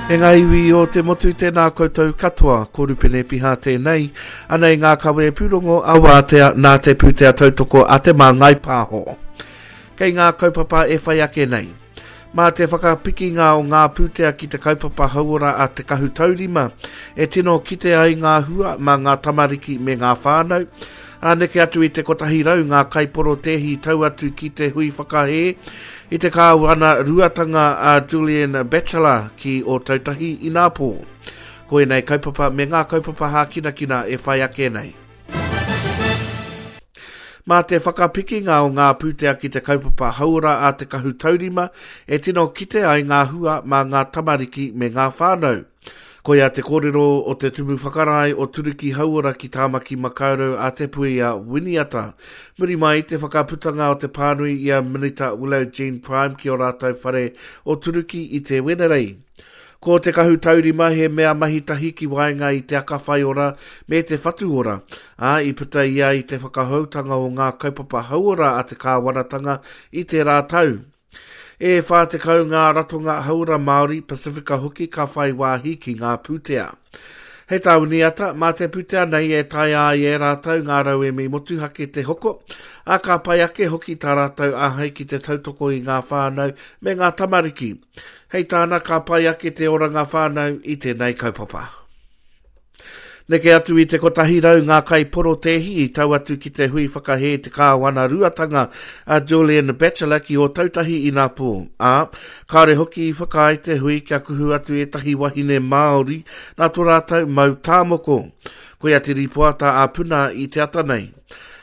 E ngā iwi o te motu tēnā koutou katoa, ko Rupene Piha tēnei, anei ngā kawe pūrongo a Wātea nā te pūtea tautoko a Te Māngai Pāho. Kei ngā kaupapa e whai ake nei. Mā te whakapikinga o ngā pūtea ki te kaupapa hauora a Te Kahu Taurima e tino kite ai ngā hua mā ngā tamariki me ngā whānau. Ā, neke atu i te 100 ngā kaiporotēhi i tau atu ki te hui whakahē i te kāwana ruatanga a Julian Batchelor ki Ōtautahi inapō. Ko ēnei kaupapa me ngā kaupapa hākinakina e whai ake nei. Mā te whakapikinga o ngā pūtea ki te kaupapa hauora a Te Kahu Taurima e tino kite ai ngā hua mā ngā tamariki me ngā whānau. Koia te kōrero o te Tumu Whakarae o Turuki Hauora ki Tāmaki Makaurau a Te Puea Winiata. Muri mai i te whakaputanga o te pānui i a Minita Willow Jean Prime ki ō rātou whare o Turuki i te Wenerei. Ko te kahu taurima he mea mahi tahi ki waenga i te aka whaiora me te whatu ora, ā, i puta ia i te whakahoutanga o ngā kaupapa hauora a te kāwanatanga i tērā tau. E 40 ngā ratonga hauora Māori, Pasifika hoki ka whai wāhi ki ngā pūtea. Hei tā Winiata, mā te pūtea nei e taea ai e rātou ngā rauemi motuhake te hoko, ā, ka pai ake hoki tā rātou āhei ki te tautoko i ngā whānau me ngā tamariki. Hei tāna, ka pai ake te oranga whānau i tēnei kaupapa. Neke atu i te 100 ngā kaiporotēhi i tau atu ki te hui whakahē te kāwanaruatanga a Julian Batchelor ki Ōtautahi inapō, ā, kāore hoki i whakaae te hui kia kuhu atu ētahi wahine Māori nā tō rātou mau tāmoko. Koia te rīpoata a Puna i te ata nei.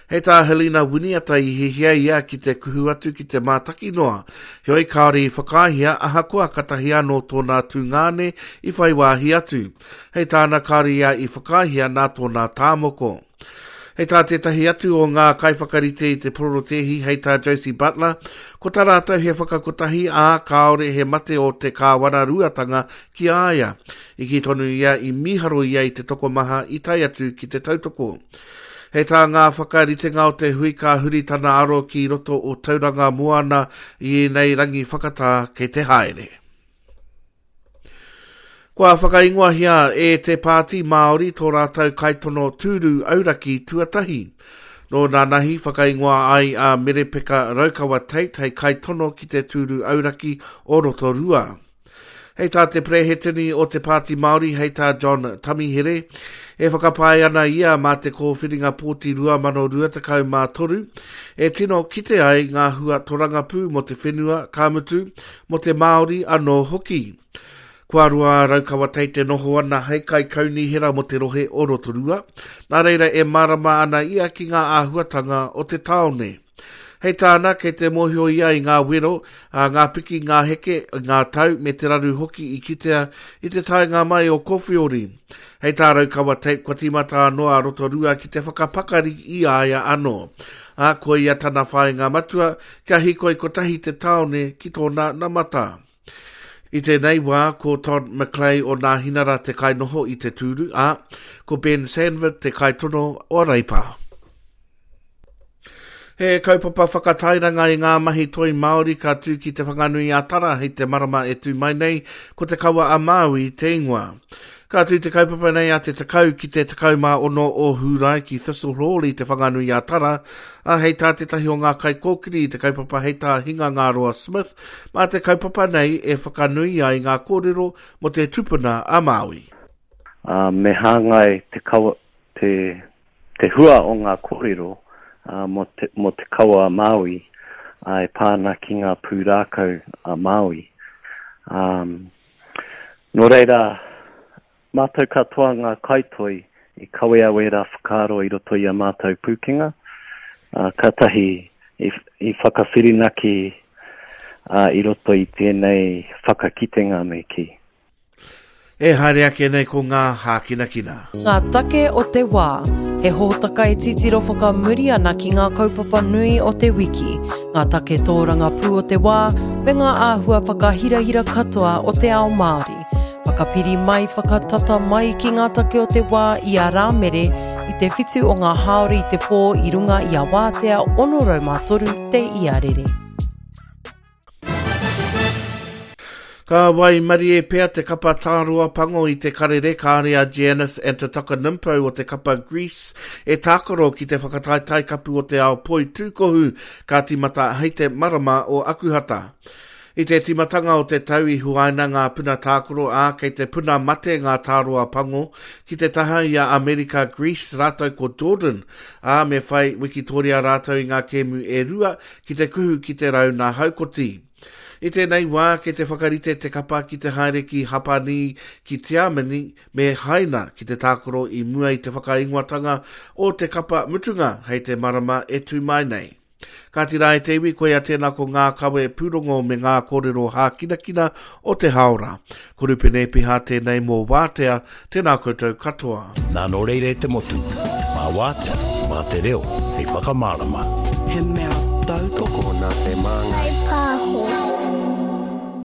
Hei tā Helena Winiata i hiahia ia ki te kuhu atu ki te mātaki noa, heoi kāore i whakaaehia ahakoa katahi anō tōna tungāne i whai wāhi atu. Hei tāna kāore ia i whakaaehia nā tōna tāmoko. Hei tā tētahi atu o ngā kaiwhakarite i te pororotēhi hei tā Josie Butler, ko tā rātou he whakakotahi ā, kāore he mate o te kāwanaruatanga ki a ia. I kī tonu ia i mīharo ia i te tokomaha i tae atu ki te tautoko. Hei tā ngā whakaritenga o te hui ka huri tana aro ki roto o Tauranga Moana i ēnei rangi whakatā kei te haere. Kua whakaingoahia e Te Pāti Māori tō rātou kaitono tūru auraki tuatahi. Nō nanahi whakaingoa ai a Merepeka Raukawa Tait hei kaitono ki te tūru auraki o Rotorua. Hei tā te Perehetini o te Pāti Māori, hei tā John Tamihere, e whakapae ana ia mā te kōwhiringa pōti 2023 e tino kite ai ngā hua torangapū mō te whenua, ka mutu, mō te Māori anō hoki. Kua roa a Raukawa Tait e noho ana hei kaikaunihera mō te rohe o Rotorua, nā reira e mārama ana ia ki ngā āhuatanga o te tāone. Hei tāna, kei te mōhio ia i ngā wero, ā, ngā piki, ngā heke, ngā tau me te raru hoki i kitea i te taenga mai o Kowhiori. Hei tā Raukawa Tape, kua tīmata anō a Rotorua ki te whakapakari i a ia anō. Ā, koia tana whāinga matua, kia hīkoi kotahi te tāone ki tōna namata. I tēnei wā, ko Todd McClay o Nāhinara te kainoho i te tūru, ā, ko Ben Sanford te kaitono o Reipa. He kaupapa whakatairanga i ngā mahi toi Māori ka tū ki Te Whanganui-a-Tara hei te marama e tū mai nei, ko Te Kawa a Māui te ingoa. Ka tū te kaupapa nei a te 10 ki te 16 o Hūrae ki Thistle Hall i Te Whanganui-a-Tara, ā, hei tā tētahi o ngā kaikōkiri i te kaupapa hei tā Hingangaroa Smith, mā te kaupapa nei e whakanui ai ngā kōrero mō te tupuna a Māui. Ā, me hāngai te kawa, te, te hua o ngā kōrero mō te, mō te kawa a Māui e pā ana ki ngā pūrākau a Māui. Ā, nō reira, mātou katoa ngā kaitoi i kawea wērā whakaaro i roto i a mātou pūkenga, ā, kātahi i, i whakawhirinaki ā, i roto i tēnei whakakitenga me kī. E haere ake nei ko ngā hākinakina. Ngā take o te wā. He hōtaka e titiro whakamuri ana ki ngā kaupapa nui o te wiki, ngā take tōrangapū o te wā, me ngā āhua whakahirahira katoa o te ao Māori. Whakapiri mai, whakatata mai ki ngā take o te wā i a Rāmere i te whitu o ngā hāora i te pō i runga i a Wātea 603 te iarere. Ka waimarie pea te kapa tāroa pango i te karere kāre a Giannis Antetokounmpo o te kapa Greece e tākaro ki te whakataetae kapu o te ao poitūkohu ka tīmata hei te marama o Akuhata. I te tīmatanga o te tau i huaina ngā puna tākaro ā kei te puna mate ngā tāroa pango ki te taha i a Amerika Greece rātou ko Jordan ā me whai wikitoria rātou i ngā kēmu e rua ki te kuhu ki te rauna haukoti. I tēnei wā, kei te whakarite te kapa ki te haere ki Hapani, ki Tiamani me Haina ki te tākaro i mua i te whakaingoatanga o te kapa mutunga hei te marama e tū mai nei. Kāti rā e te iwi, koia tēnā ko ngā kawe pūrongo me ngā kōrero hākinakina o te hāora. Ko Rupene Epiha tēnei mō Wātea, tēnā koutou katoa. Nā nō reira e te motu, mā Wātea, mā te reo hei whakamārama. He mea tautoko nā te Māngai.